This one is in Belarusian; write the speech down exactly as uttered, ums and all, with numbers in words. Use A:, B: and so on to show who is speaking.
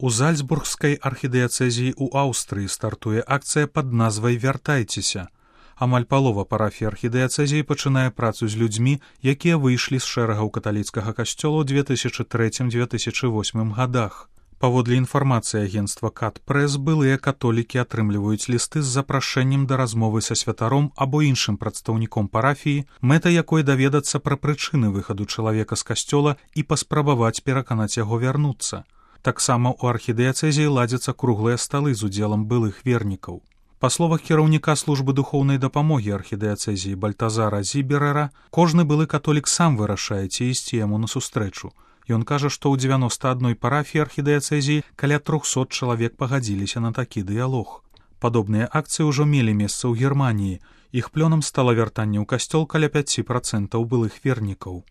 A: У Зальцбургскай архідыяцэзіі ў Аўстрыі стартуе акцыя пад назвай «Вяртайцеся». Амаль палова парафій архідыяцэзіі пачынае працу з людзьмі, якія выйшлі з шэрагаў каталіцкага касцёла ў две тысячы трэцім - две тысячы восьмым гадах. Паводле інфармацыі агенцтва «Кат-прэс», былыя католікі атрымліваюць лісты з запрашэннем да размовы са святаром або іншым прадстаўніком парафіі, мэта якой даведацца пра прычыны выхаду чалавека з касцёла і паспрабаваць пераканаць яго вярнуцца. Таксама ў архідыяцэзіі ладзяцца круглыя сталы з удзелам былых вернікаў. Па словах кіраўніка службы духоўнай дапамогі архідыяцэзіі Бальтазара Зіберера, кожны былы католік сам вырашае, ці ісці яму насустрэчу. Ён кажа, што ў дзевяноста адной парафіі архідыяцэзіі каля трохсот чалавек пагадзіліся на такі дыялог. Падобныя акцыі ўжо мелі месца ў Германіі. Іх плёнам стала вяртанне ў касцёл каля пяці працэнтаў былых вернікаў.